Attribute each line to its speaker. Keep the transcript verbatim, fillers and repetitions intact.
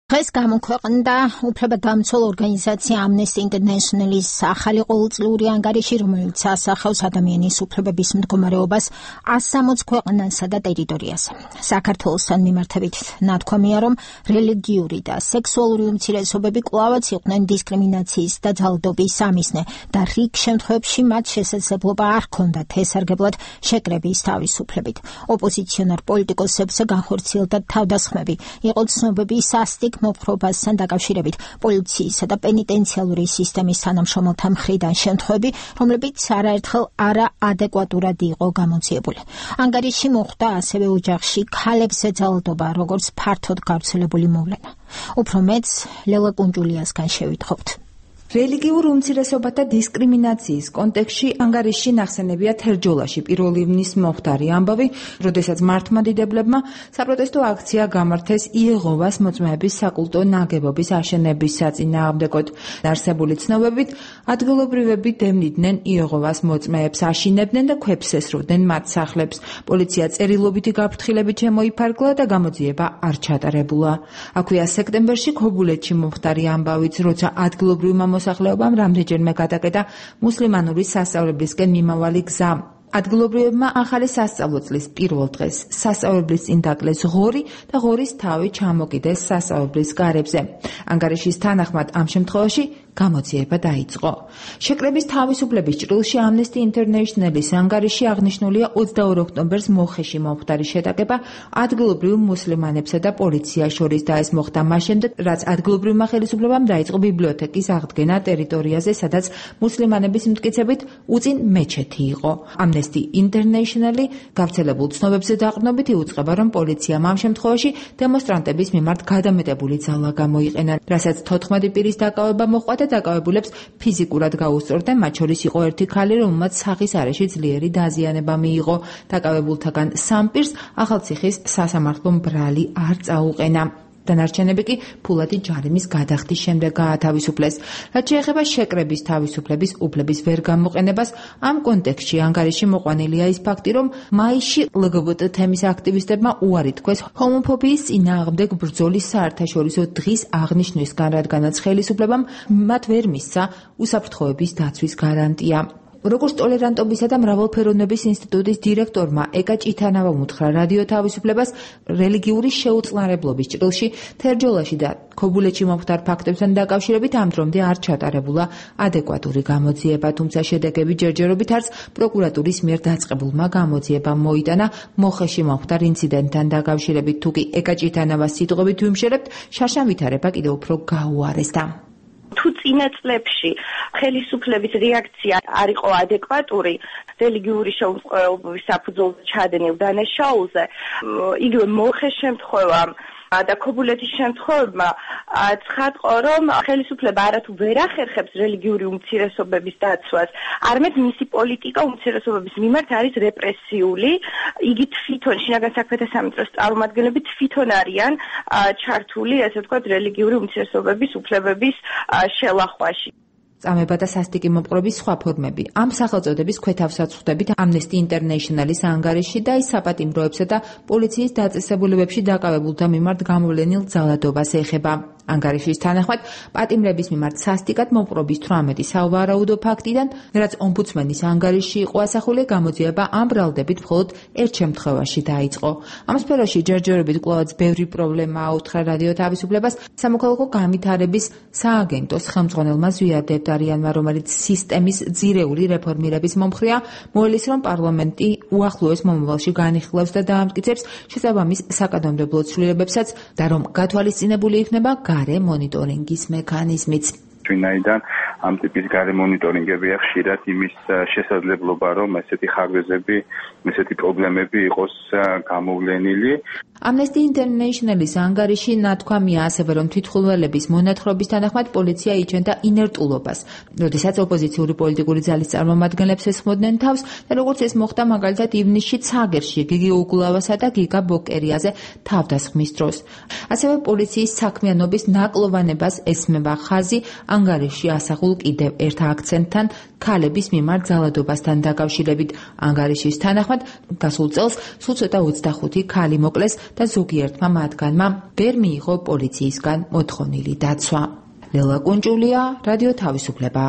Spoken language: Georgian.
Speaker 1: დღეს გამოქვეყნდა უფლებადამცველ ორგანიზაცია Amnesty International-ის ახალი ყოველწლიური ანგარიში, რომელიც ასახავს ადამიანის უფლებების მდგომარეობას ას სამოც ქვეყანასა და ტერიტორიაზე. საქართველოსთან მიმართებით ნათქვამია, რომ რელიგიური და სექსუალური უმცირესობები კვლავაც იყვნენ დისკრიმინაციის და ძალადობის სამიზნე და რიგ შემთხვევებში მათ შესაძლებლობა არ ჰქონდათ ესარგებლად შეკრების თავისუფლებით. ოპოზიციონარ პოლიტიკოსებზე განხორციელდა თავდასხმები, იყო ცნობები სასტიკ მოპყრობასთან დაკავშირებით პოლიციისა და პენიტენციალური სისტემის თანამშრომელთა მხრიდან შემთხვევები, რომლებიც არაერთხელ არაადეკვატურად იყო გამოძიებული. ანგარიში მოხვდა ასევე ოჯახში ქალებზე ძალადობა, როგორც ფართოდ გავრცელებული მოვლენა. უფრო მეტს ლელა კუნჯულიასგან შევითხოვთ.
Speaker 2: რელიგიურ უმცირესობათა დისკრიმინაციის კონტექსტში ანგარიში ნახსენებია თერჯოლაში პირველი ივნის მომხდარი ამბავი, როდესაც მართლმადიდებლებმა საპროტესტო აქცია გამართეს იეღოვას მოწმეების საკულტო ნაგებობის აშენების საწინააღმდეგოდ. არსებული ცნობებით, ადგილობრივები დევნიდნენ იეღოვას მოწმეებს, აშინებდნენ და ქვებს ესროდნენ მათ სახლებს. პოლიცია წერილობითი გაფრთხილებით შემოიფარგლა და გამოძიება არ ჩატარებულა. აქვეა სექტემბერში ქობულეთში მომხდარი ამბავიც, როცა ადგილობრივმა მოსახლეობამ რამდენჯერმე გადაკეტა მუსლიმანური სასწავლებლისკენ მიმავალი გზა. ადგილობრივებმა ახალი სასწავლო წლის პირველ დღეს სასწავლებლის წინ დაკლეს ღორი და ღორის თავი ჩამოკიდეს სასწავლებლის გარებზე. ანგარიშის თანახმად ამ შემთხვევაში გამოძიება დაიწყო. შეკრების თავისუფლების ჭრილში Amnesty International-ის ანგარიში აღნიშნულია ოცდაორ ოქტომბერს მოხეში მომხდარი შეტაკება ადგილობრივ მუსლიმანებსა და პოლიციას შორის და ეს მოხდა მას შემდეგ, რაც ადგილობრივმა ხელისუფლებამ დაიწყო ბიბლიოთეკის აღდგენა ტერიტორიაზე, სადაც მუსლიმანების მტკიცებით უწინ მეჩეთი იყო. Amnesty International გავრცელებულ ცნობებზე დაყრდნობით იუწყება, რომ პოლიციამ ამ შემთხვევაში დემონსტრანტების მიმართ გადამეტებული ძალა გამოიყენა, რასაც თოთხმეტი პირის დაკავება მოჰყვა და დაკავებულებს ფიზიკურად გაუსწორდნენ, მათ შორის იყო ერთი ქალი, რომელმაც სახის არეში ძლიერი დაზიანება მიიღო. დაკავებულთაგან სამ პირს ახალციხის სასამართლო ბრალი არ წაუყენა. დანარჩენები კი ფულადი ჯარიმის გადახდის შემდეგ გაათავისუფლეს. რაც შეეხება შეკრების თავისუფლების უფლების ვერ გამოყენებას, ამ კონტექსტში ანგარიში მოყვანილია ის ფაქტი, რომ მაისში ლგბტ თემის აქტივისტებმა უარი თქვეს ჰომოფობიის წინააღმდეგ ბრძოლის საერთაშორისო დღის აღნიშვნისგან, რადგანაც ხელისუფლებამ მათ ვერ მისცა უსაფრთხოების დაცვის გარანტია. როგორც ტოლერანტობისა და მრავალფეროვნების ინსტიტუტის დირექტორმა ეკა ჭითანავამ უთხრა რადიო თავისუფლებას, რელიგიური შეუწყნარებლობის ჭრილში თერჯოლაში და ქობულეთში მომხდარ ფაქტებთან დაკავშირებით ამ დრომდე არ ჩატარებულა ადეკვატური გამოძიება, თუმცა შედეგები ჯერჯერობით არც პროკურატურის მიერ დაწყებულმა გამოძიებამ მოიტანა მოხეში მომხდარ ინციდენტთან დაკავშირებით. თუკი ეკა ჭითანავას სიტყვებით ვიმშელებთ, შარშან ვითარება კიდევ უფრო გაუარესდა.
Speaker 3: თუ წინა წლებში ხელისუფლების რეაქცია არ იყო ადეკვატური რელიგიური შეუწყვილობის საფუძველზე ჩადენილ დანაშაულზე, იგივე მოხეს შემთხვევამ და ქობულეთის შემთხვევებმა ცხადყო, რომ ხელისუფლება არათუ ვერ ახერხებს რელიგიური უმცირესობების დაცვას, არამედ მისი პოლიტიკა უმცირესობების მიმართ არის რეპრესიული. იგი თვითონ შინაგან საქმეთა სამინისტროს წარმომადგენლები თვითონ არიან ჩართული, ესე ვთქვათ, რელიგიური უმცირესობების უფლებების შელახვაში.
Speaker 2: წამება და სასტიკი მოპყრობის სხვა ფორმები. ამ სახელწოდების ქვეთავსაც ხვდებით Amnesty International-ის ანგარიში და ის საპატიმროებსა და პოლიციის დაწესებულებებში დაკავებულთა მიმართ გამოვლენილ ძალადობას ეხება. ანგარიშის თანახმად, პატიმრების მიმართ სასტიკად მოპყრობის თვრამეტი სავარაუდო ფაქტიდან, რაც ომბუდსმენის ანგარიში იყო ასახული, გამოძიება ამ ბრალდებით მხოლოდ ერთ შემთხვევაში დაიწყო. ამ სფეროში ჯერჯერობით კვლავაც ბევრი პრობლემა აუთხრა რადიო თავისუფლებას სამოქალაქო განვითარების სააგენტოს ხელმძღვანელმა ზვიად არიანმა, რომელიც სისტემის ძირეული რეფორმირების მომხრეა, მოელის, რომ პარლამენტი უახლოეს მომავალში განიხილავს და დაამტკიცებს შესაბამის საკანონმდებლო ცვლილებებსაც და რომ გათვალისწინებული იქნება გარე მონიტორინგის მექანიზმიც.
Speaker 4: ვინაიდან ამ ტიპის გარე მონიტორინგებია ხშირად იმის შესაძლებლობა, რომ ესეთი ხარვეზები, ესეთი პრობლემები იყოს გამოვლენილი.
Speaker 2: Amnesty International-ის ანგარიში ნათქვამია ასევე, რომ თვითმხილველების მონათხრობის თანახმად პოლიცია იჩენდა ინერტულობას, როდესაც ოპოზიციური პოლიტიკური ძალის წარმომადგენლებს ესხმოდნენ თავს და როგორც ეს მოხდა მაგალითად ივნისში ცაგერში გიგი უგულავასა და გიგა ბოკერიაზე თავდასხმის დროს. ასევე პოლიციის საქმიანობის ნაკლოვანებას ესმება ხაზი ანგარიში ასახულ მიღებულ კიდევ ერთ აქცენტთან ქალების მიმართ ძალადობასთან დაკავშირებით. ანგარიშის თანახმად, გასულ წელს სულ ცოტა ოცდახუთი ქალი მოკლეს და ზოგიერთმა მათგანმა ვერ მიიღო პოლიციისგან მოთხოვნილი დაცვა. ლელა კუნჭულია, რადიო თავისუფლება.